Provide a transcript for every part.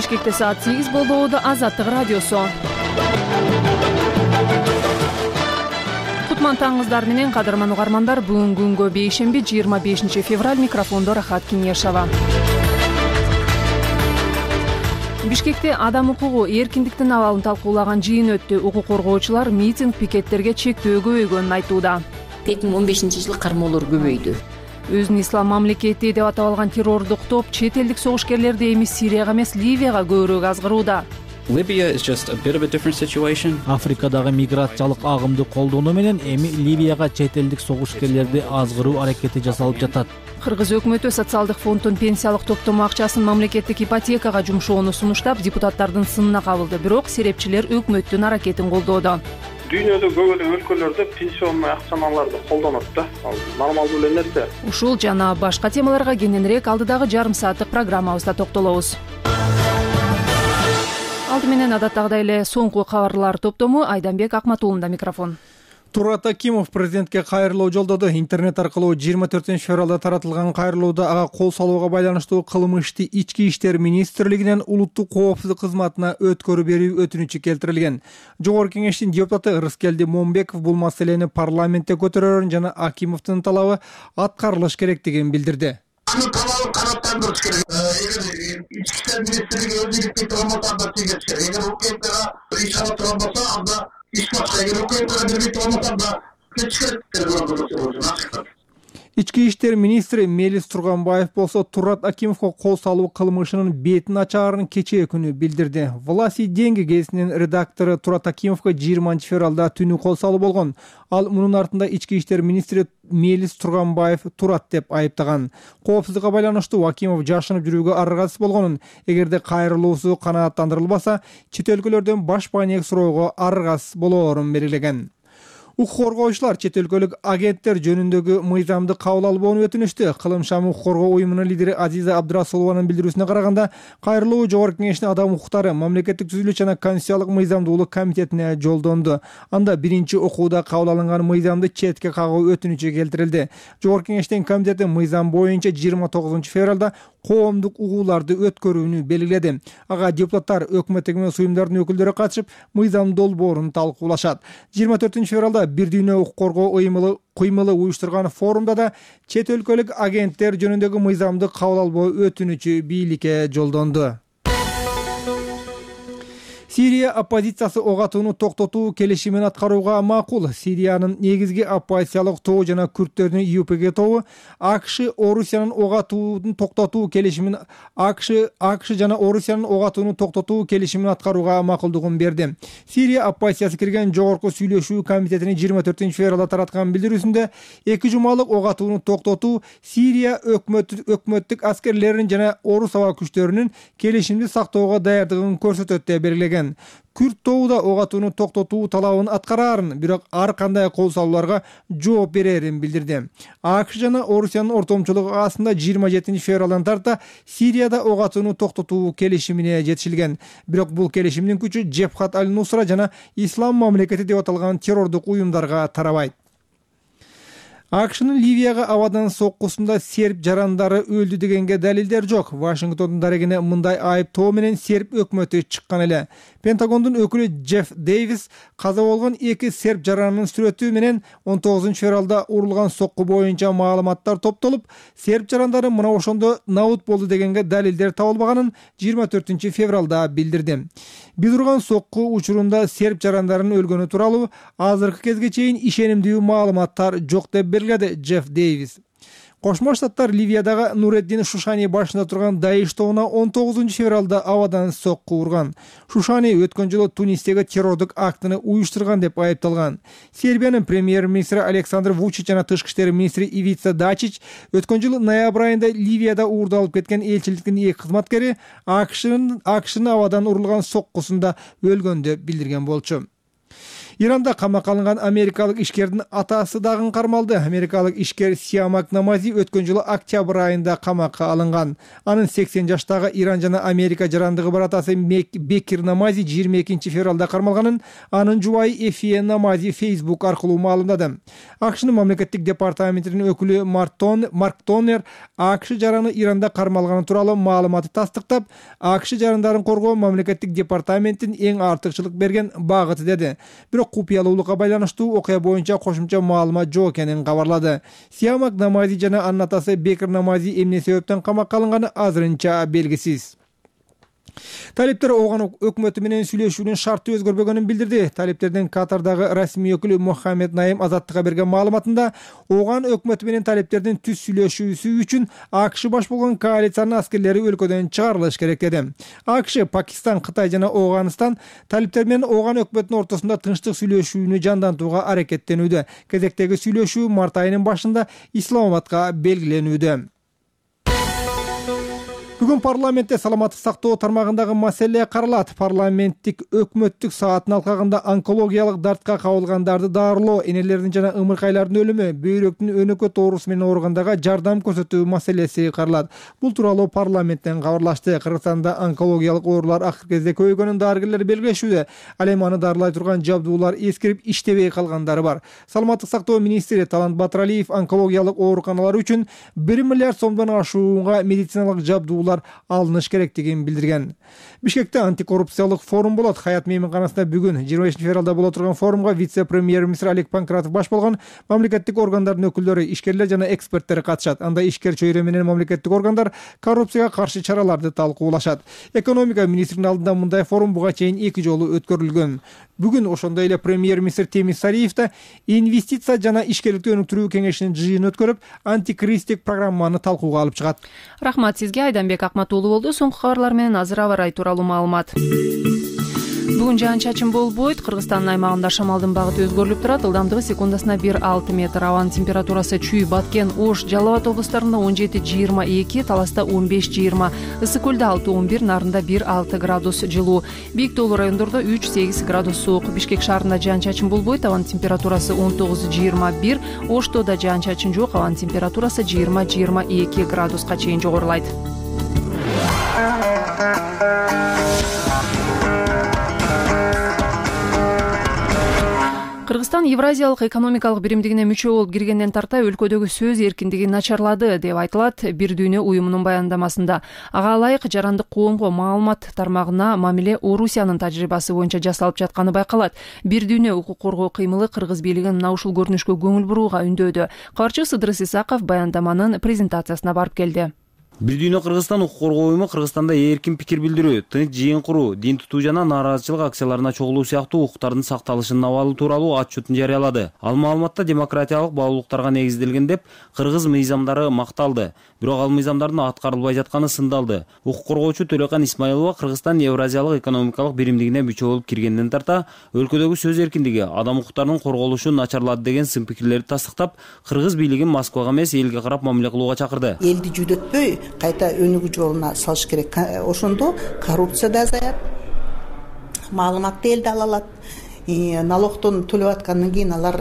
Бишкекте саат 8 болду. Азаттык радиосу. Кутман таңыңыздар менен, кадырман угармандар. Бүгүн күнгө бейшемби 25 февраль. Микрофондо Рахат Кинешова. Бишкекте адам укугу эркиндиктин абалын талкуулаган жыйын өттү. Укук коргоочулар митинг пикеттерге чектөө көбөйгөнүн айтууда. 2015-жылы кармоолор көбөйдү. Өзүн ислам мамлекети деп атап алган террордук топ чет элдик согушкерлерди эми Сирияга эмес, Ливияга көбүрөөк азгырууда. Африкадагы миграциялык агымды колдонуу менен эми Ливияга чет элдик согушкерлерди азгыруу аракети жасалып жатат. Кыргыз өкмөтү социалдык фонддун пенсиялык топтому акчасын мамлекеттик ипотекага жумшоону сунуштап, депутаттардын сынына кабылды. Бирок серепчилер өкмөттүн аракетин колдоодо. Дүйнөдө көп эле өлкөлөрдө пенсионный акчаларды колдонот да. Ал нормалдуу эле нерсе. Ушул жана башка темаларга кененирээк алдыдагы жарым сааттык программабызда токтолобуз. Алды менен адаттагыдай эле соңку кабарлар топтому. Айданбек Акматуулунда микрофон. Турат Акимов президентке кайрылуу жолдоду. Интернет аркылуу 24 февралда таратылган кайрылууда ага кол салууга байланыштуу кылмышты Ички иштер министрлигинен улуттук коопсуздук кызматына өткөрүү берүү өтүнүчү келтирилген. Жогорку кеңештин депутаты Рыскелди Момбеков бул маселени парламентте көтөрөрүн жана Акимовдун талабы аткарылыш керектигин билдирди. Анын талабын канааттандырыш керек. Эгер ички иштер министрлиги өз иликтей болмосо анда тийгизиш керек. Эгер укмка иш алып турган болсо анда иш башка. Эгер укмка бербей болмосо анда кетиш керек. Ички иштер министри Мелис Турганбаев болсо Турат Акимовго кол салуу кылмышынын бетин ачаарын кечээ күнү билдирди. Власти деньги гезитинин редактору Турат Акимовго 20 февралда түнү кол салуу болгон. Ал мунун артында ички иштер министри Мелис Турганбаев Турат деп айыптаган. Коопсуздукка байланыштуу Акимов жашынып жүрүүгө аргасыз болгонун, эгерде кайрылуусу канааттандырылбаса, чет өлкөлөрдөн баш пайнек суроого аргасыз болоорун белгилеген. Укук коргоочулар чет өлкөлүк агенттер жөнүндөгү мыйзамды кабыл албоону өтүнүштү. Кылымшам укук коргоо уюмунун лидери Азиза Абдрасулованын билдирүүсүнө караганда, кайрылуу Жогорку кеңештин адам укуктары, мамлекеттик түзүлүш жана конституциялык мыйзамдуулук комитетине жолдонду. Анда биринчи окууда кабыл алынган мыйзамды четке кагуу өтүнүчү келтирилди. Жогорку кеңештин комитети мыйзам боюнча 29 февралда коомдук угууларды өткөрүүнү белгиледи. Ага депутаттар, өкмөттүк эмес уюмдардын өкүлдөрү катышып, мыйзам долбоорун талкуулашат. 24 февралда Бир дүйнө укук коргоо кыймылы уюштурган форумда да чет өлкөлүк агенттер жөнүндөгү мыйзамды кабыл албоо өтүнүчү бийликке жолдонду. Сирия оппозициясы ок атууну токтотуу келишимин аткарууга макул. Сириянын негизги оппозициялык тобу жана күрттөрдүн ЮПГ тобу АКШ Орусиянын ок атууну токтотуу келишимин жана Орусиянын ок атууну токтотуу келишимин аткарууга макулдугун берди. Сирия оппозициясы кирген жогорку сүйлөшүү комитетинин 24 февралда тараткан билдирүүсүндө 2 жумалык ок атууну токтотуу Сирия өкмөттүк аскерлеринин жана орус аба күчтөрүнүн келишимди сактоого даярдыгын көрсөтөт деп белгилеген. Күрт тобу да ок атууну токтотуу талабын аткараарын, бирок ар кандай кол салууларга жооп берерин билдирди. АКШ жана Орусиянын ортомчулугу астында 27 февралдан тарта Сирияда ок атууну токтотуу келишимине жетишилген. Бирок бул келишимдин күчү Джебхат аль-Нусра жана Ислам мамлекети деп аталган террордук уюмдарга тарабайт. АКШнын Ливияга абадан соккусунда серб жарандары өлдү дегенге далилдер жок. Вашингтондун дарегине мындай айыптоо менен серб өкмөтү чыккан эле. Пентагондун өкүлү Джефф Дейвис каза болгон 2 серб жаранынын сүрөтү менен 19 февралда урулган сокку боюнча маалыматтар топтолуп, серб жарандары мына ошондо набут болду дегенге далилдер табылбаганын 24 февралда билдирди. Биз урган сокку учурунда серб жарандарынын өлгөнү тууралуу азыркы кезге чейин ишенимдүү маалыматтар жок деп белгиледи Джефф Дейвис. Кошмо Штаттар Ливиядагы Нуреддин Шушани башында турган Даиш тобуна 19 февралда абадан сокку урган. Шушани өткөн жылы Тунистеги террордук актыны уюштурган деп айыпталган. Сербиянын премьер-министри Александр Вучич жана тышкы иштер министри Ивица Дачич өткөн жылы ноябрь айында Ливияда уурдалып кеткен элчиликтин 2 кызматкери АКШнын абадан урулган соккусунда өлгөн деп билдирген болчу. Иранда камакка алынган америкалык ишкердин атасы дагы кармалды. Америкалык ишкер Сиамак Намази өткөн жылы октябрь айында камакка алынган. Анын 80 жаштагы Иран жана Америка жарандыгы бар атасы Бекир Намази 22 февралда кармалганын анын жубайы Эфие Намази Facebook аркылуу маалымдады. АКШнын мамлекеттик департаментинин өкүлү Марк Тонер АКШ жараны Иранда кармалганы тууралуу маалыматты тастыктап, АКШ жарандарын коргоо мамлекеттик департаменттин эң артыкчылык берген багыты деди. Бирок купуялуулукка байланыштуу окуя боюнча кошумча маалымат жок экенин кабарлады. Сиамак Намази жана анын атасы Бекир Намази эмне себептен камакка алынганы азырынча белгисиз. Талиптер Оган өкмөтү менен сүйлөшүүнүн шарты өзгөрбөгөнүн билдирди. Талиптердин Катардагы расмий өкүлү Мухаммед Наим Азаттыкка берген маалыматында Оган өкмөтү менен талиптердин түз сүйлөшүүсү үчүн АКШ баш болгон коалициянын аскерлери өлкөдөн чыгарылыш керек деди. АКШ, Пакистан, Кытай жана Афганистан талиптер менен Оган өкмөтүнүн ортосунда тынчтык сүйлөшүүнү жандантууга аракеттенүүдө. Кезектеги сүйлөшүү март айынын башында Исламабадка белгиленүүдө. Бүгүн парламентте саламаттык сактоо тармагындагы маселе каралат. Парламенттик өкмөттүк сааттын алкагында онкологиялык дартка кабылгандарды дарылоо, энелердин жана ымыркайлардын өлүмү, бөйрөктүн өнөкөт оорусу менен ооругандарға жардам көрсөтүү маселеси каралат. Бул тууралуу парламенттен кабарлашты. Кыргызстанда онкологиялык оорулар акыркы кезде көбөйгөнүн дарыгерлер белгилешүүдө. Ал эми аны дарылай турган жабдуулар эскирип иштебей калгандары бар. Саламаттык сактоо министри Талант Батыралиев онкологиялык ооруканалар үчүн 1 миллиард сомдон ашуунга медициналык жабдуулар алыныш керектигин билдирген. Бишкекте антикоррупциялык форум болот. Хаят мейманканасында бүгүн 25 февралда боло турган форумга вице-премьер-министр Олег Панкратов баш болгон мамлекеттик органдардын өкүлдөрү, ишкерлер жана эксперттер катышат. Анда ишкер чөйрө менен мамлекеттик органдар коррупцияга каршы чараларды талкуулашат. Экономика министринин алдында мындай форум буга чейин 2 жолу өткөрүлгөн. Бүгүн ошондой эле премьер-министр Темир Сариев да инвестиция жана ишкерликти өнүктүрүү кеңешинин жыйынын өткөрүп, антикризистик программаны талкууга алып чыгат. Рахмат сизге, Айданбек Акматуулу болду. Соңку кабарлар менен азыр аба ырайы тууралуу маалымат. Бүгүн жаан-чачын болбойт. Кыргызстандын аймагында шамалдын багыты өзгөрүлүп турат. Ылдамдыгы секундасына 1,6 метр. Абанын температурасы Чүй, Баткен, Ош, Жалал Абад облустарында 17-22, Таласта 15-20, Ысык көлдө 6-11, Нарында 1,6 градус жылуу. Бийик тоолуу райондордо 3-8 градус суук. Бишкек шаарында жаан-чачын болбойт. Абанын температурасы 19-21, Ошто да жаан-чачын жок. Абанын температурасы 20-22 градуска чейин жогорулайт. Кыргызстан Евразиялык экономикалык биримдигине мүчө болуп киргенден тарта өлкөдөгү сөз эркиндиги начарлады деп айтылат Бир Дүйнө уюмунун баяндамасында. Ага ылайык жарандык коомго маалымат тармагына мамиле Орусиянын тажрыйбасы боюнча жасалып жатканы байкалат. Бир Дүйнө укук коргоо кыймылы Кыргыз бийлигин мына ушул көрүнүшкө көңүл бурууга үндөдү. Каарчы Сыдырыс Исаков баяндаманын презентациясына барып келди. Бир Дүйнө Кыргызстан укук коргоо уюму Кыргызстанда эркин пикир билдирүү, тынч жыйын куруу, дин тутуу жана нааразычылык акцияларына чогулуу сыяктуу укуктардын сакталышынын абалы тууралуу отчетун жарыялады. Ал маалыматта демократиялык баалуулуктарга негизделген деп кыргыз мыйзамдары макталды. Бирок ал мыйзамдардын аткарылбай жатканы сындалды. Укук коргоочу Төлөкан Исмаилова Кыргызстан Евразиялык экономикалык биримдигине мүчө болуп киргенден тарта өлкөдөгү сөз эркиндиги, адам укуктарынын корголушу начарлады деген сын пикирлерди тастыктап, кыргыз бийлигин Москвага эмес элге карап мамиле кылууга чакырды. Элди жүдөтпөй кайта өнүгүү жолуна салыш керек. Ошондо коррупция да азаят, маалыматты элде ала алат. Налогтон төлөп аткандан кийин алар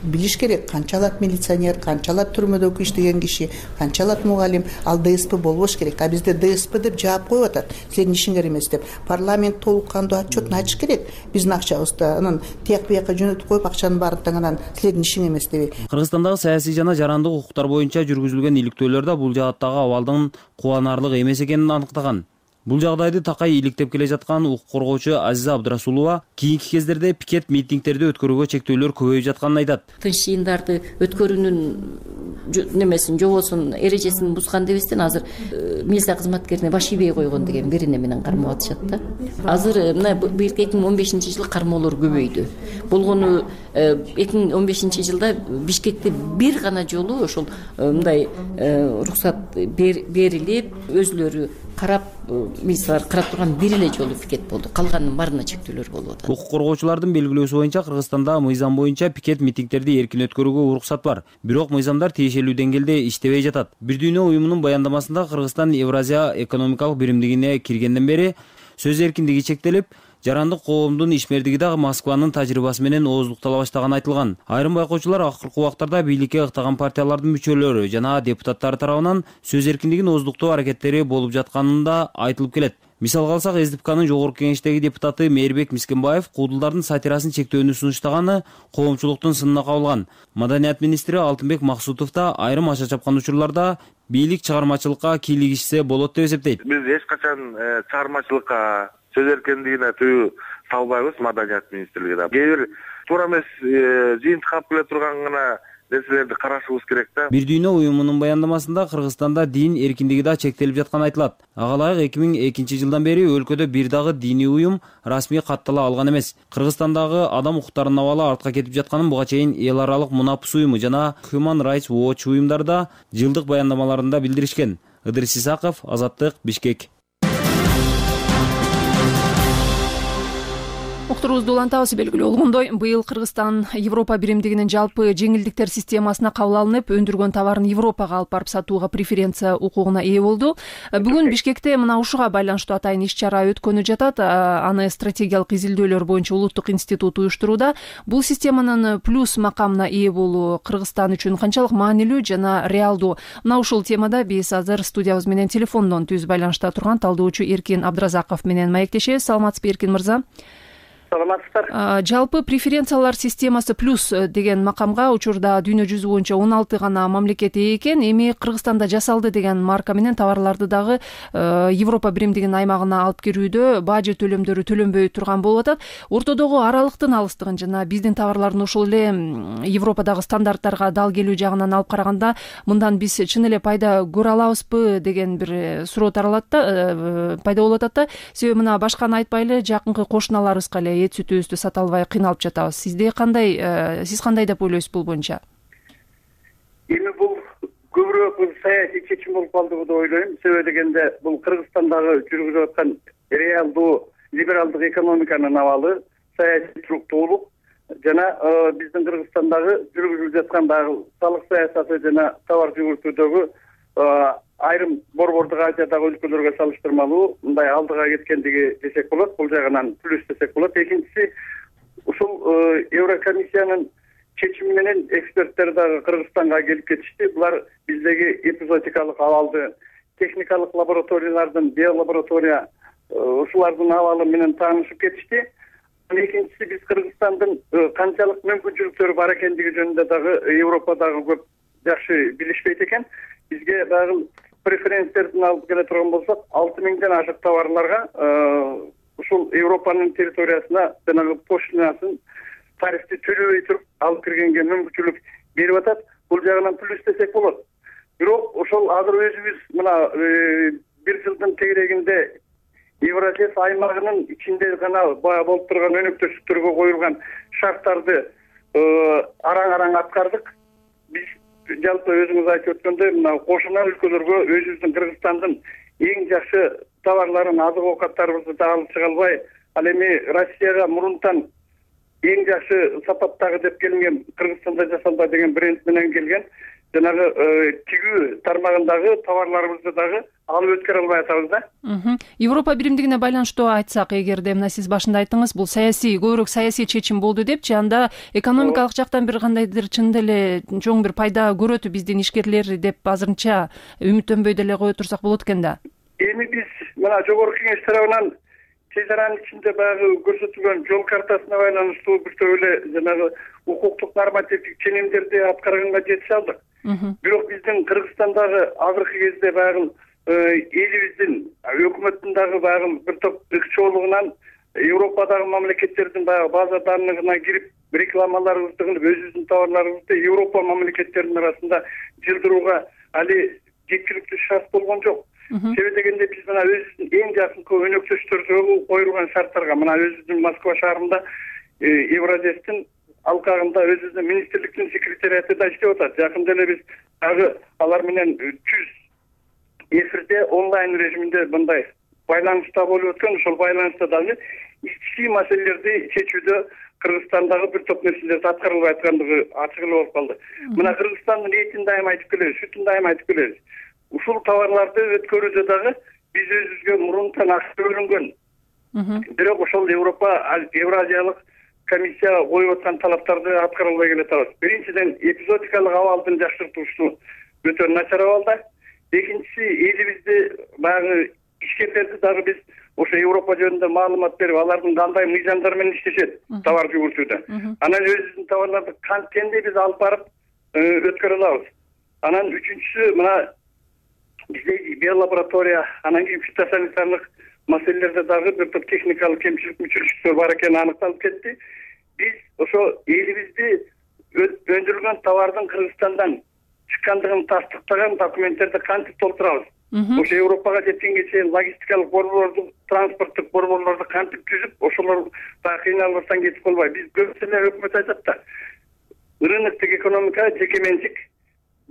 билиш керек, канча алат милиционер, канча алат түрмөдө иштеген киши, канча алат мугалим. Ал ДСП болбош керек. А бизде ДСП деп жаап коюп атат. Силердин ишиңер эмес деп. Парламент толук кандуу отчетун ачыш керек. Биздин акчабызды анан тияк бияка жөнөтүп коюп акчанын баарын таңанан силердин ишиң эмес деп. Кыргызстандагы саясий жана жарандык укуктар боюнча жүргүзүлгөн иликтөөлөр да бул жааттагы абалдын кубанарлык эмес экенин аныктаган. Бул жагдайды такай иликтеп келе жаткан укук коргоочу Азиза Абдрасулова кийинки кездерде пикет митингтерди өткөрүүгө чектөөлөр көбөйүп жатканын айтат. Тынч жыйындарды өткөрүүнүн немесин, жобосун, эрежесин бузган дебестен азыр милиция кызматкерине баш ийбей койгон деген берене менен кармап атышат да. Азыр мына 2015-жылы кармоолор көбөйдү. Болгону 2015-жылда Бишкекте бир гана жолу ошол мындай уруксат берилип, өзүлөрү карап, милициялар карап турган бир эле жолу пикет болду. Калганынын баарына чектөөлөр болуп атат. Укук коргоочулардын белгилөөсү боюнча Кыргызстанда мыйзам боюнча пикет митингтерди эркин өткөрүүгө уруксат бар. Бирок мыйзамдар тиешелүү деңгээлде иштебей жатат. Бир Дүйнө уюмунун баяндамасында Кыргызстан Евразия экономикалык биримдигине киргенден бери сөз эркиндиги чектелип, жарандык коомдун ишмердиги дагы Москванын тажрыйбасы менен ооздуктала баштаганы айтылган. Айрым байкоочулар акыркы убактарда бийликке ыктаган партиялардын мүчөлөрү жана депутаттары тарабынан сөз эркиндигин ооздуктоо аракеттери болуп жатканын да айтылып келет. Мисалга алсак, СДПКнын жогорку кеңештеги депутаты Мээрбек Мискенбаев куудулдардын сатирасын чектөөнү сунуштаганы коомчулуктун сынына кабылган. Маданият министри Алтынбек Максутов да айрым аша чапкан учурларда бийлик чыгармачылыкка кийлигишсе болот деп эсептейт. Биз эч качан чыгармачылыкка, сөз эркиндигине тыюу салбайбыз. Маданият министрлиги кээ бир туура эмес жыйынтык алып келе турган гана нерселерди карашыбыз керек да. Бир дүйнө уюмунун баяндамасында Кыргызстанда дин эркиндиги да чектелип жатканы айтылат. Ага ылайык 2002 жылдан бери өлкөдө бир дагы диний уюм расмий каттала алган эмес. Кыргызстандагы адам укуктарынын абалы артка кетип жатканын буга чейин эл аралык Мунапс уюму жана Human Rights Watch уюмдары да жылдык баяндамаларында билдиришкен. Ыдырыс Исаков, Азаттык, Бишкек. Уктурубузду улантабыз. Белгилүү болгондой, быйыл Кыргызстан Европа биримдигинин жалпы жеңилдиктер системасына кабыл алынып, өндүргөн товарын Европага алып барып сатууга преференция укугуна ээ болду. Бүгүн Бишкекте мына ушуга байланыштуу атайын иш-чара өткөнү жатат. Аны стратегиялык изилдөөлөр боюнча Улуттук институт уюштурууда. Бул системанын плюс макамына ээ болуу Кыргызстан үчүн канчалык маанилүү жана реалдуу? Мына ушул темада биз азыр студиябыз менен телефондон түз байланышта турган талдоочу Эркин Абдыразаков менен маектешебиз. Саламатсызбы, Эркин мырза? Саламатсыздар. Жалпы преференциялар системасы плюс деген макамга учурда дүйнө жүзү боюнча 16 гана мамлекет ээ экен. Эми Кыргызстанда жасалды деген марка менен товарларды дагы Европа биримдигинин аймагына алып кирүүдө бажы төлөмдөрү төлөнбөй турган болуп атат. Ортодогу аралыктын алыстыгын жана биздин товарлардын ошол эле Европадагы стандарттарга дал келүү жагынан алып караганда, мындан биз чын эле пайда көрө алабызбы деген бир суроо таралат да, пайда болуп атат да. Себеби мына башканы айтпайлы, жакынкы кошуналарыбызга эле эт сүтүбүздү сата албай кыйналып жатабыз. Сиз кандай деп ойлойсуз бул боюнча? Эми бул көбүрөөк саясий чечим болуп калды деп ойлойм. Себеби дегенде бул Кыргызстандагы жүргүзүп аткан реалдуу либералдык экономиканын абалы, саясий туруктуулук жана биздин Кыргызстандагы жүргүзүлүп жаткан дагы салык саясаты жана товар жүгүртүүдөгү айрым борбордук Азиядагы өлкөлөргө салыштырмалуу мындай алдыга кеткендиги десек болот. Бул жагынан плюс десек болот. Экинчиси, ушул Еврокомиссиянын чечими менен эксперттер дагы Кыргызстанга келип кетишти. Булар биздеги эпизодикалык абалды, техникалык лабораториялардын, биолаборатория ушулардын абалы менен таанышып кетишти. Экинчиси, биз Кыргызстандын канчалык мүмкүнчүлүктөрү бар экендиги жөнүндө дагы Европадагы көп жакшы билишпейт экен. Бизге дагы преференциялердин алып келе турган болсок, 6000ден ашык товарларга ушул Европанын территориясына жанагы пошлинасын, тарифти төлөбөй туруп алып киргенге мүмкүнчүлүк берип атат. Бул жагынан плюс десек болот. Бирок ошол азыр өзүбүз мына бир жылдын тегерегинде Евразес аймагынын ичинде гана болуп турган өнөктөштүктөргө коюлган шарттарды араң аткардык. Биз жалпы өзүңүз айтып өткөндөй, мына кошуна өлкөлөргө өзүбүздүн Кыргызстандын эң жакшы товарларын, азык оокаттарыбызды да алып чыга албай, ал эми Россияга мурунтан эң жакшы сапаттагы деп келинген Кыргызстанда жасалба деген бренд менен келген жанагы тигүү тармагындагы товарларыбызды дагы алып өткөрө албай атабыз да. Европа биримдигине байланыштуу айтсак, эгерде мына сиз башында айттыңыз, бул көбүрөөк саясий чечим болду депчи, анда экономикалык жактан бир кандайдыр чын деле чоң бир пайда көрөтү биздин ишкерлер деп азырынча үмүттөнбөй деле кое турсак болот экен да. Эми биз мына жогорку кеңеш тарабынан чек аранын ичинде баягы көрсөтүлгөн жол картасына байланыштуу бир топ эле жанагы укуктук нормативдик ченемдерди аткарганга жетише алдык. Бирок биздин Кыргызстандагы азыркы кезде баягы элибиздин өкмөттүн дагы баягы бир топ ыкчоолугунан Европадагы мамлекеттердин баягы база данныгына кирип рекламаларыбызды кылып, өзүбүздүн товарларыбызды Европа мамлекеттеринин арасында жылдырууга али жеткиликтүү шарт болгон жок. Себеби дегенде биз мына өзүбүздүн эң жакынкы өнөктөштөргө коюлган шарттарга, мына өзүбүздүн Москва шаарында Евразестин алкагында өзүбүздүн министрликтин секретариаты да иштеп атат. Жакында эле биз дагы алар менен түз эфирде онлайн режиминде мындай байланышта болуп өткөн. Ошол байланышта дагы ички маселелерди чечүүдө Кыргызстандагы бир топ нерселерди аткарылбай аткандыгы ачык эле болуп калды. Мына Кыргызстандын этин дайыма айтып келебиз, сүтүн дайыма айтып келебиз. Ушул товарларды өткөрүүдө дагы биз өзүбүзгө мурунтан акча бөлүнгөн бирок ошол Евразиялык комиссия коюп аткан талаптарды аткара албай келатабыз. Биринчиден, эпизодикалык абалдын жакшыртуусу өтө начар абалда. Экинчиси, элибизде баягы ишкерлерди дагы биз ошо Европа жөнүндө маалымат берип, алардын кандай мыйзамдар менен иштешет товар жүгүртүүдө. Анан өзүбүздүн товарларды кантенде биз алып барып өткөрө алабыз. Анан үчүнчүсү, мына бизде биолаборатория, анан кийин фитосанитарлык маселелерде дагы бир топ техникалык кемчиликтер бар экени аныкталып кетти. Биз ошо элибизде өндүрүлгөн товардын Кыргызстандан чыккандыгын тастыктаган документтерди кантип толтурабыз? Ошо Европага жеткенге чейин логистикалык борборлорду, транспорттук борборлорду кантип түзүп, ошолор дагы кыйналбастан кетип калбай. Биз көпсүнө өкмөт айтат да, рыноктук экономика, жеке менчик,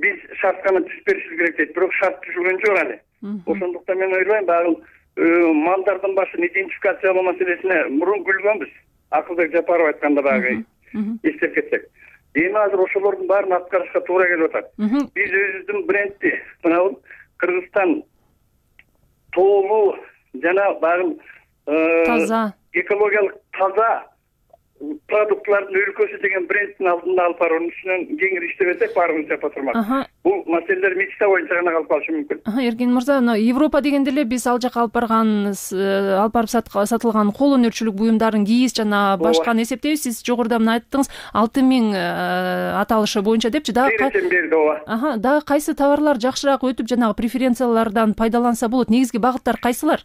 биз шарт гана түзүп беришибиз керек дейт. Бирок шарт түзүлгөн жок аны. Ошондуктан мен ойлойм, баягы малдардын башын идентификациялоо маселесине мурун күлгөнбүз. Акылбек Жапаров айтканда баягы эстеп кетсек. Эми азыр ошолордун баарын аткарышка туура келип атат. Биз өзүбүздүн брендти, мына Кыргызстан тоолуу жана баягы таза, экологиялык таза продуктлардын өлкөсү деген брендтин алдында алып баруунун үстүнөн кеңири иштебесек, баарыбыз жапа турмак. Бул маселелер мечта боюнча гана калып калышы мүмкүн. Эркин мырза, Европа дегенде эле биз ал жака алып барып сатылган кол өнөрчүлүк буюмдарын, кийиз жана башканы эсептейбиз. Сиз жогоруда мына айттыңыз 6000 аталышы боюнча депчи. Дагы кайсы товарлар жакшыраак өтүп, жанагы преференциялардан пайдаланса болот? Негизги багыттар кайсылар?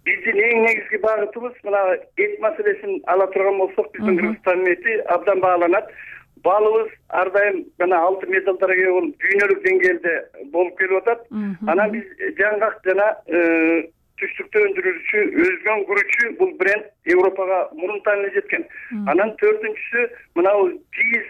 Биздин эң негизги багытыбыз мына эт маселесин ала турган болсок, биздин Кыргызстандын эти абдан бааланат. Балыбыз ар дайым жана алтын медалдарга ээ болуп, дүйнөлүк деңгээлде болуп келип атат. Анан биз жаңгак жана түштүктө өндүрүүчү, өзгөн күрүчү бул бренд Европага мурунтан эле жеткен. Анан төртүнчүсү мына кийиз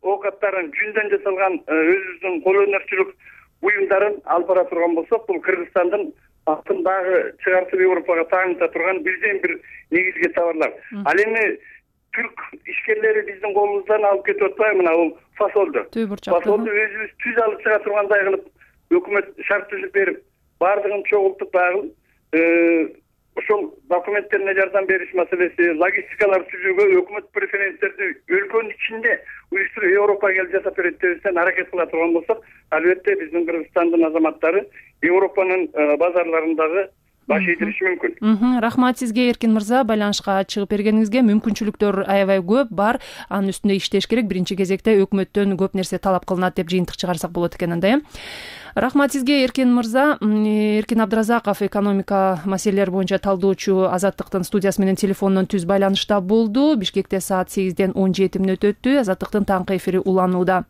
оокаттарын жүндөн жасалган өзүбүздүн кол өнөрчүлүк буюмдарын алып бара турган болсок, бул Кыргызстандын атын дагы чыгартып Европага тааныта турган бирден бир негизги товарлар. Ал эми түрк ишкерлери биздин колубуздан алып кетип атпайбы, мына бул фасолду. Фасолду өзүбүз түз алып чыга тургандай кылып өкмөт шарт түзүп берип, баардыгын чогултуп баягы ошол документтерине жардам бериш маселеси, логистикалар түзүүгө өкмөт преференцияларды өлкөнүн ичинде уюштуруп Европага келип жасап берет дебестен аракет кыла турган болсок, албетте биздин Кыргызстандын азаматтары Европанын базарларындагы баш ийдириши мүмкүн. Рахмат сизге, Эркин мырза, байланышка чыгып бергениңизге. Мүмкүнчүлүктөр аябай көп бар. Анын үстүндө иштеш керек. Биринчи кезекте өкмөттөн көп нерсе талап кылынат деп жыйынтык чыгарсак болот экен анда. Рахмат сизге, Эркин мырза. Эркин Абдыразаков, экономика маселелери боюнча талдоочу, Азаттыктын студиясы менен телефондон түз байланышта болду. Бишкекте саат 8ден 17 мүнөт өттү. Азаттыктын таңкы эфири уланууда.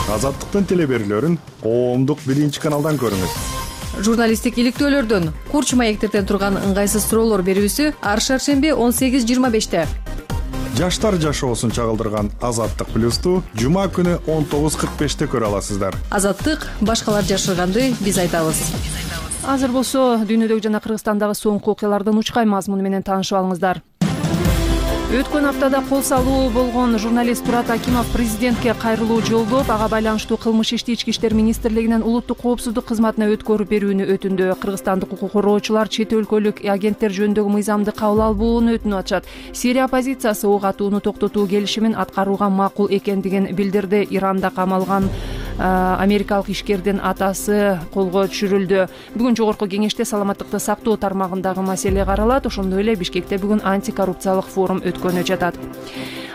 Азаттыктын телеберүүлөрүн коомдук биринчи каналдан көрүңүз. Журналисттик иликтөөлөрдөн, курч маектерден турган ыңгайсыз суроолор берүүсү ар шаршемби 18:25-те. Жаштар жашоосун чагылдырган Азаттык плюсту жума күнү 19:45-те көрө аласыздар. Азаттык башкалар жашырганды биз айтабыз. Азыр болсо дүйнөдөгү жана Кыргызстандагы соңку окуялардын учкай мазмуну менен таанышып алыңыздар. Өткөн аптада кол салуу болгон журналист Турат Акимов президентке кайрылуу жолдоп, ага байланыштуу кылмыш ишти Ички иштер министрлигинин улуттук коопсуздук кызматына өткөрүп берүүнү өтүндү. Кыргызстандык укук коргоочулар чет өлкөлүк агенттер жөнүндөгү мыйзамды кабыл албоону өтүнүп атышат. Сирия оппозициясы ок атууну токтотуу келишимин аткарууга макул экендигин билдирди. Иранда камалган америкалык ишкердин атасы колго түшүрүлдү. Бүгүн жогорку кеңеште саламаттыкты сактоо тармагындагы маселе каралат. Ошондой эле Бишкекте бүгүн антикоррупциялык форум өткөнү жатат.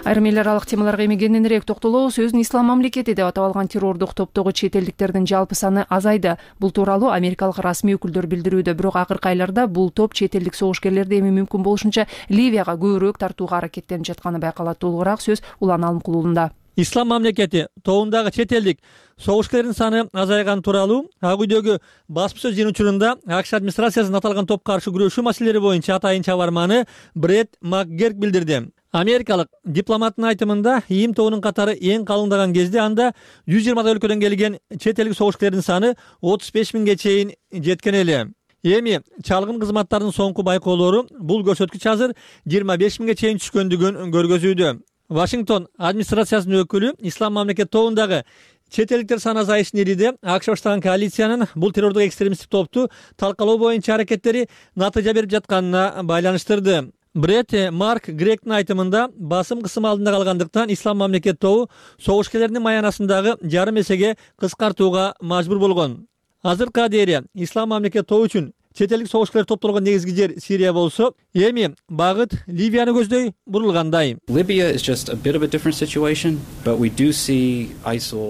Айрым эл аралык темаларга эми кененирээк токтолобуз. Өзүн ислам мамлекети деп атап алган террордук топтогу чет элдиктердин жалпы саны азайды. Бул тууралуу америкалык расмий өкүлдөр билдирүүдө. Бирок акыркы айларда бул топ чет элдик согушкерлерди эми мүмкүн болушунча Ливияга көбүрөөк тартууга аракеттенип жатканы байкалат. Толугураак сөз Улан Алымкулуулунда. Ислам мамлекети тобундагы чет элдик согушкерлердин саны азайган тууралуу Ак үйдөгү басма сөз жыйын учурунда АКШ администрациясынын аталган топко каршы күрөшүү маселелери боюнча атайын чабарманы Бред МакГерк билдирди. Америкалык дипломаттын айтымында ИИМ тобунун катары эң калыңдаган кезде анда 120 өлкөдөн келген чет элдик согушкерлердин саны 35 миңге чейин жеткен эле. Эми чалгын кызматтардын соңку байкоолору бул көрсөткүч азыр 25 миңге чейин түшкөндүгүн көргөзүүдө. Вашингтон администрациясынын өкүлү Ислам мамлекет тобундагы чет элдиктер саны азайышын ириде АКШ баштаган коалициянын бул террордук экстремисттик топту талкалоо боюнча аракеттери натыйжа берип жатканына байланыштырды. Бред Марк Гректин айтымында басым кысым алдында калгандыктан ислам мамлекет тобу согушкерлердин маянасындагы жарым эсеге кыскартууга мажбур болгон. Азыркыга дейин ислам мамлекет тобу үчүн чет элдик согушкерлер топтолгон негизги жер Сирия болсо, эми багыт Ливияны көздөй бурулгандай.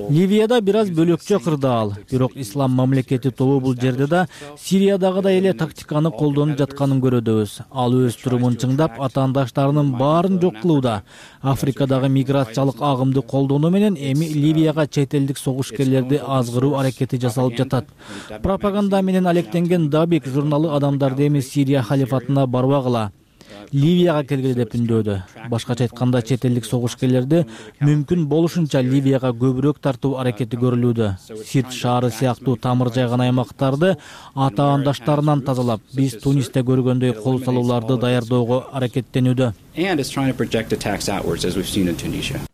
Ливияда бир аз бөлөкчө кырдаал, бирок ислам мамлекети тобу бул жерде да Сириядагыдай эле тактиканы колдонуп жатканын көрөдөбүз. Ал өз турумун чыңдап, атаандаштарынын баарын жок кылууда. Африкадагы миграциялык агымды колдонуу менен эми Ливияга чет элдик согушкерлерди азгыруу аракети жасалып жатат. Пропаганда менен алектенген Дабик журналы адамдарды эми Сирия халифатына барбагыла, Ливияга келгиле деп үндөөдү. Башкача айтканда, чет элдик согушкерлерди мүмкүн болушунча Ливияга көбүрөөк тартуу аракети көрүлүүдө. Сирт шаары сыяктуу тамыр жайган аймактарды атаандаштарынан тазалап, биз Тунисте көргөндөй кол салууларды даярдоого аракеттенүүдө.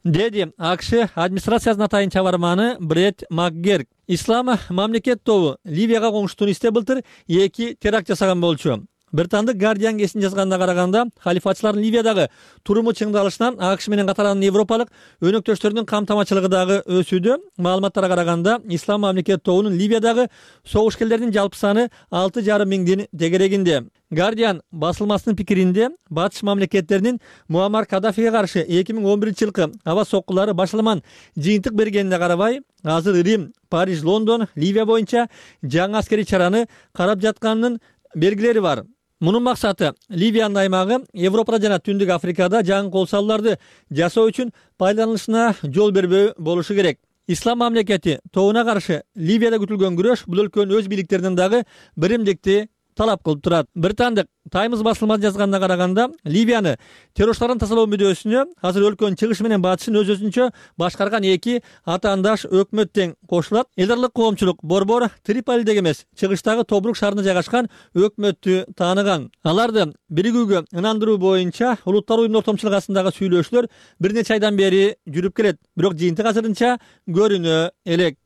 Деди АКШ администрациясынын атайын чабарманы Бред Макгерк. Ислам мамлекет тобу Ливияга коңшу Тунисте былтыр 2 теракт жасаган болчу. Британдык Guardian гезитине жазганына караганда, халифатчылардын Ливиядагы туруму чыңдалышынан АКШ менен катаран европалык өнөктөштөрүнүн камтамачылыгы дагы өсүүдө. Маалыматтарга караганда, ислам мамлекет тобунун Ливиядагы согушкерлердин жалпы саны 6,5 миңдин тегерегинде. Guardian басылмасынын пикиринде, батыш мамлекеттеринин Муаммар Каддафиге каршы 2011-жылкы аба соккулары башаламан жыйынтык бергенине карабай, азыр Рим, Париж, Лондон Ливия боюнча жаңы аскерий чараны карап жатканынын белгилери бар. Мунун максаты Ливиянын аймагы Европада жана Түндүк Африкада жаңы кол салууларды жасоо үчүн пайдаланылышына жол бербөө болушу керек. Ислам мамлекети тобуна каршы Ливияда күтүлгөн күрөш бул өлкөнүн өз бийликтеринен дагы биримдикти талап кылып турат. Британдык Times басылмасы жазганына караганда, Ливияны террорчулардан тазалоо мүдөөсүнө азыр өлкөнүн чыгышы менен батышын өз-өзүнчө башкарган 2 атаандаш өкмөт тең кошулат. Элдарлык коомчулук борбор Триполидеги эмес, чыгыштагы Тобрук шаарында жайгашкан өкмөттү тааныган. Аларды биригүүгө ынандыруу боюнча улуттар уюмунун ортомчулугу арасындагы сүйлөшүүлөр бир нече айдан бери жүрүп келет. Бирок жыйынтык азырынча көрүнө элек.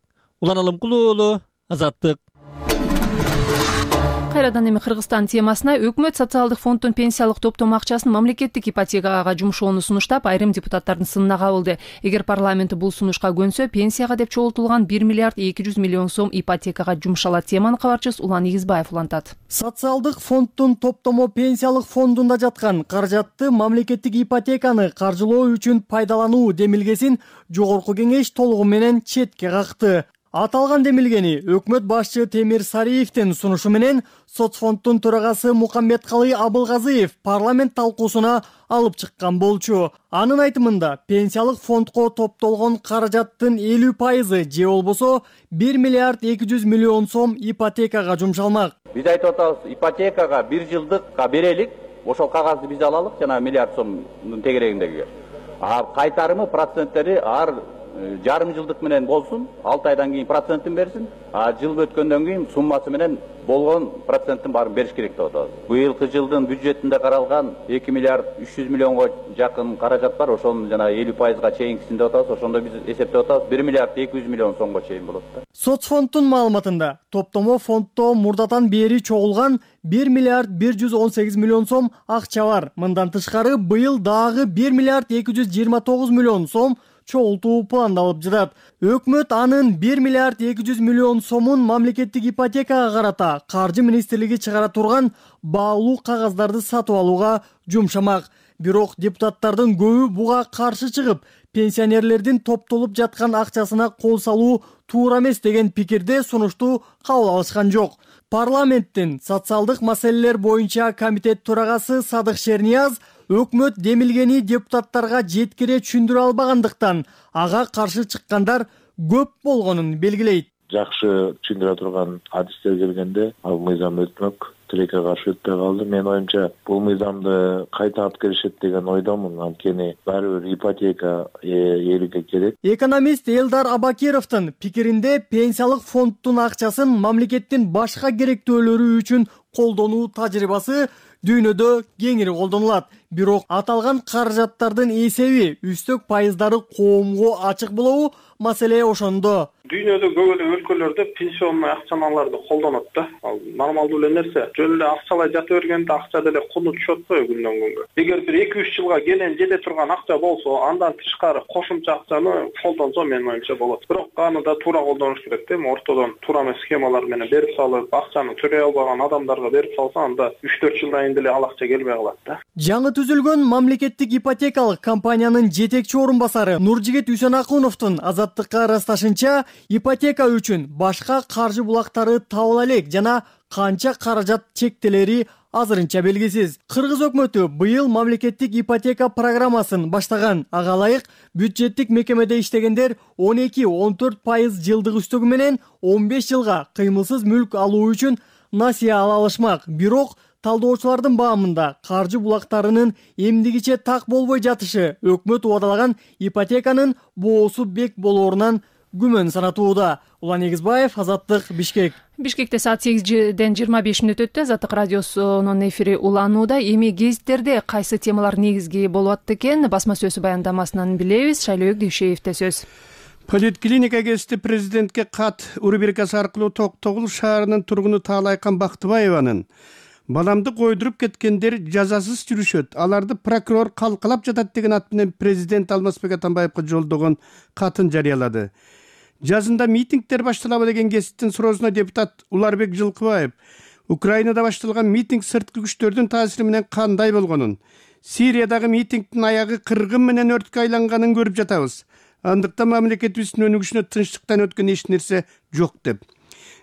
Улан Алымкулуу, Азаттык. Кайрадан эми Кыргызстан темасына. Өкмөт социалдык фонддун пенсиялык топтомо акчасын мамлекеттик ипотекага жумшоону сунуштап, айрым депутаттардын сынына кабылды. Эгер парламент бул сунушка көнсө, пенсияга деп чогултулган 1 миллиард 200 миллион сом ипотекага жумшалат. Теманы кабарчыбыз Улан Игизбаев улантат. Социалдык фонддун топтомо пенсиялык фондунда жаткан каражатты мамлекеттик ипотеканы каржылоо үчүн пайдалануу демилгесин жогорку кеңеш толугу менен четке какты. Аталган демилгени өкмөт башчы Темир Сариевдин сунушу менен соцфонддун төрагасы Мукаммедкалый Абылгазыев парламент талкуусуна алып чыккан болчу. Анын айтымында, пенсиялык фондко топтолгон каражаттын 50% же болбосо 1 миллиард 200 миллион сом ипотекага жумшалмак. Биз айтып атабыз, ипотекага 1 жылдыкка берелик, ошол кагазды биз алалык, жана миллиард сомдун тегерегиндеги. Кайтарымы проценттери жарым жылдык менен болсун, 6 айдан кийин процентин берсин, жыл өткөндөн кийин суммасы менен болгон проценттин баарын бериш керек деп атабыз. Быйылкы жылдын бюджетинде каралган 2 миллиард 300 миллионго жакын каражат бар, ошонун жана 50%га чейинкисин деп атабыз. Ошондо биз эсептеп атабыз 1 миллиард 200 миллион сомго чейин болот да. Соцфонддун маалыматында топтомо фонддо мурдатан бери чогулган 1 миллиард 118 миллион сом акча бар. Мындан тышкары быйыл дагы 1 миллиард 229 миллион сом чогултуу пландалып жатат. Өкмөт анын 1 миллиард 200 миллион сомун мамлекеттик ипотекага карата Каржы министрлиги чыгара турган баалуу кагаздарды сатып алууга жумшамак. Бирок депутаттардын көбү буга каршы чыгып, пенсионерлердин топтолуп жаткан акчасына кол салуу туура эмес деген пикирде сунушту кабыл алышкан жок. Парламенттин социалдык маселелер боюнча комитет төрагасы Садык Шернияз өкмөт демилгени депутаттарга жеткире түшүндүрө албагандыктан ага каршы чыккандар көп болгонун белгилейт. Жакшы түшүндүрө турган адистер келгенде ал мыйзам өтмөк, тилекке каршы өтпөй калды. Менин оюмча бул мыйзамды кайта алып келишет деген ойдомун. Анткени баары бир ипотека элге керек. Экономист Элдар Абакировдун пикиринде пенсиялык фонддун акчасын мамлекеттин башка керектөөлөрү үчүн колдонуу тажрыйбасы дүйнөдө кеңири колдонулат. Бирок аталган каражаттардын эсеби, үстөк пайыздары коомго ачык болобу, маселе ошондо. Дүйнөдө көп эле өлкөлөрдө пенсионный акчаларды колдонот да. Ал нормалдуу эле нерсе. Жөн эле акчалай жата бергенде акча деле куну түшөт го күндөн күнгө. Эгер бир 2-3 жылга келен жете турган акча болсо, андан тышкары кошумча акчаны колдонсо менин оюмча болот. Бирок аны да туура колдонуш керек да. Ортодон туура эмес схемалар менен берип салып, акчаны төлөй албаган адамдарга берип салса, анда 3-4 жылдан кийин деле ал акча келбей калат да. Жаңы түзүлгөн мамлекеттик ипотекалык компаниянын жетекчи орун басары Нуржигит Үсөнакуновдун Азаттыкка ырасташынча, ипотека үчүн башка каржы булактары табыла элек жана канча каражат чектелери азырынча белгисиз. Кыргыз өкмөтү быйыл мамлекеттик ипотека программасын баштаган. Ага ылайык бюджеттик мекемеде иштегендер 12-14% жылдык үстөгү менен 15 жылга кыймылсыз мүлк алуу үчүн насыя ала алышмак. Бирок талдоочулардын баамында каржы булактарынын эмдигиче так болбой жатышы өкмөт убадалаган ипотеканын боосу бек болоорунан күмөн санатууда. Улан Эгизбаев, Азаттык, Бишкек. Бишкекте саат 8:25 өттү. Азаттык радиосунун эфири уланууда. Эми гезиттерде кайсы темалар негизги болуп атты экен? Басма сөзү баяндамасынан билебиз. Шайлообек Дүйшеевде сөз. Политклиника гезити президентке кат рубрикасы аркылуу Токтогул шаарынын тургуну Таалайкан Бактыбаеванын баламды койдуруп кеткендер жазасыз жүрүшөт, аларды прокурор калкалап жатат деген ат менен президент Алмазбек Атамбаевга жолдогон катын жарыялады. Жазында митингдер башталабы деген гезиттин суроосуна депутат Уларбек Жылкыбаев Украинада башталган митинг сырткы күчтөрдүн таасири менен кандай болгонун, Сириядагы митингдин аягы кыргын менен өрткө айланганын көрүп жатабыз. Андыктан мамлекетибиздин өнүгүшүнө тынчтыктан өткөн эч нерсе жок деп.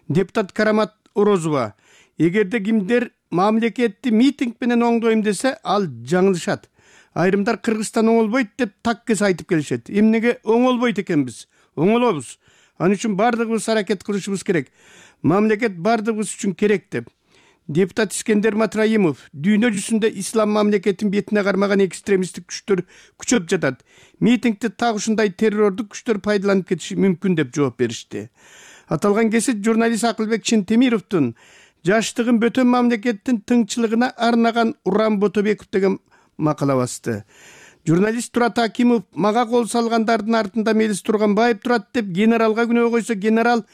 Депутат Карамат Орозова эгерде кимдер мамлекетти митинг менен оңдойм десе, ал жаңылышат. Айрымдар Кыргызстан оңолбойт деп таккес айтып келишет. Эмнеге оңолбойт экенбиз? Оңолобуз. Анын үчүн бардыгыбыз аракет кылышыбыз керек. Мамлекет бардыгыбыз үчүн керек деп. Депутат Искендер Матраимов дүйнө жүзүндө ислам мамлекетин бетине кармаган экстремисттик күчтөр күчөп жатат. Митингди так ушундай террордук күчтөр пайдаланып кетиши мүмкүн деп жооп беришти. Аталган кесип журналист Акылбек Чентемировдун жаштыгын бөтөн мамлекеттин тыңчылыгына арнаган Уран Ботобеков деген макала басты. Журналист Турат Акимов мага кол салгандардын артында Мелис Турганбаев турат деп генералга күнөө койсо, генерал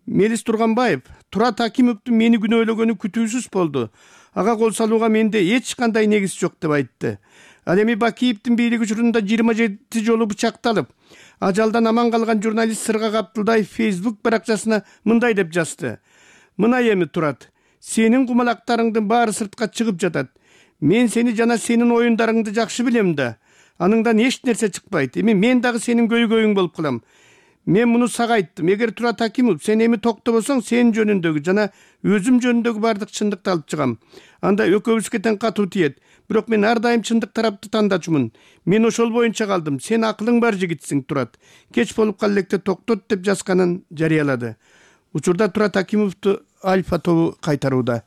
Мелис Турганбаев Турат Акимовдун мени күнөөлөгөнү күтүүсүз болду. Ага кол салууга менде эч кандай негиз жок деп айтты. Ал эми Бакиевдин бийлик учурунда 27 жолу бычакталып, ажалдан аман калган журналист Сыргак Абдулдаев Facebook баракчасына мындай деп жазды. Мына эми Турат, сенин кумалактарыңдын баары сыртка чыгып жатат. Мен сени жана сенин оюндарыңды жакшы билем да. Аныңдан эч нерсе чыкпайт. Эми мен дагы сенин көйгөйүң болуп калам. Мен муну сага айттым. Эгер Турат Акимов сен эми токтобосоң, сен жөнүндөгү жана өзүм жөнүндөгү бардык чындыкты алып чыгам. Анда экөөбүзгө тең катуу тиет. Бирок мен ар дайым чындык тарапты тандачумун. Мен ошол боюнча калдым. Сен акылың бар жигитсиң, Турат. Кеч болуп кал электе токтот деп жазганын жарыялады. Учурда Турат Акимовду Альфа тобу кайтарууда.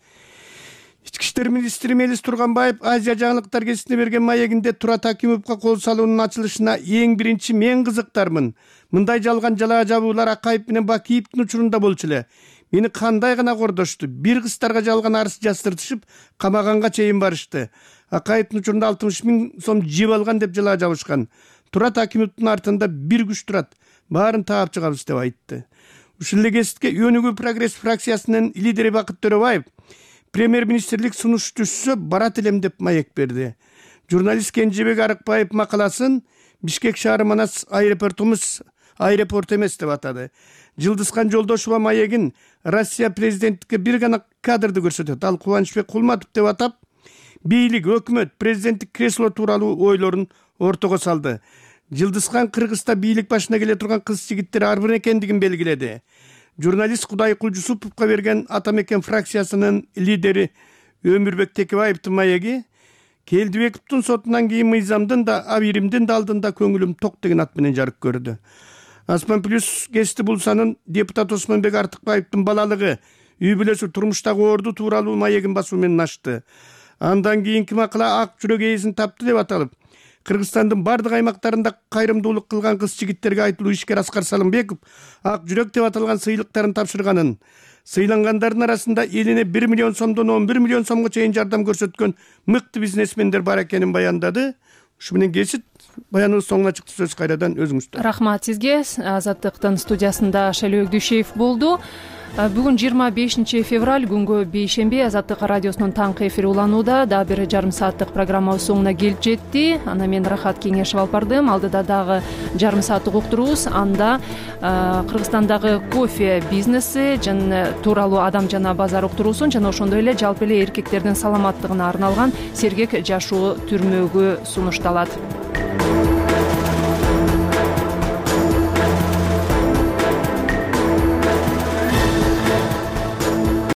Ички иштер министри Мелис Турганбаев Азия жаңылыктар гезитине берген маегинде Турат Акимовго кол салуунун ачылышына эң биринчи мен кызыктармын. Мындай жалган жалаа жабуулар Акаев менен Бакиевдин учурунда болчу эле. Мени кандай гана кордошту. Бир кыздарга жалган арыз жаздыртышып, камаганга чейин барышты. Акаевдин учурунда 60 000 сом жеп алган деп жалаа жабышкан. Турат Акимовдун артында бир күч турат. Баарын таап чыгабыз деп айтты. Ушул эле гезитке Өнүгүү прогресс фракциясынын лидери Бакыт Төрөбаев премьер-министрлик сунуш түшсө барат элем деп маек берди. Журналист Кенжебек Арыкбаев макаласын Бишкек шаары Манас аэропорт эмес деп атады. Жылдызхан Жолдошова маегин Россия президенттикке бир гана кадрды көрсөтөт. Ал Кубанычбек Кулматов деп атап, бийлик, өкмөт, президенттик кресло тууралуу ойлорун ортого салды. Жылдызхан Кыргызста бийлик башына келе турган кыз жигиттер ар бир экендигин белгиледи. Журналист Кудайкул Жусуповго берген Атамекен фракциясынын лидери Өмүрбек Текебаевдин маеги Келдибековдун сотунан кийин мыйзамдын да, абиримдин да алдында көңүлүм ток деген ат менен жарык көрдү. Аспан плюс гезити булсанын депутат Осмонбек Артыкбаевдин балалыгы, үй бүлөсү турмуштагы орду тууралуу маегин басуу менен ачты. Андан кийинки макала ак жүрөк ээсин тапты деп аталып, Кыргызстандын бардык аймактарында кайрымдуулук кылган кыз жигиттерге айтылуу ишкер Аскар Салымбеков ак жүрөк деп аталган сыйлыктарын тапшырганын, сыйлангандардын арасында элине 1 миллион сомдон 11 миллион сомго чейин жардам көрсөткөн мыкты бизнесмендер бар экенин баяндады. Ушу менен кесип баяныбыз соңуна чыкты. Сөз кайрадан өзүңүздө. Рахмат сизге. Азаттыктын студиясында Шайлоо Дүйшеев болду. Бүгүн 25 февраль күнгө бейшемби. Азаттык радиосунун таңкы эфири уланууда. Дагы бир жарым сааттык программабыз соңуна келип жетти. Ана мен Рахат Кеңешев алып бардым. Алдыда дагы жарым сааттык уктурубуз. Анда Кыргызстандагы кофе бизнеси тууралуу адам жана базар уктуруусун жана ошондой эле жалпы эле эркектердин саламаттыгына арналган сергек жашоо түрмөгү сунушталат.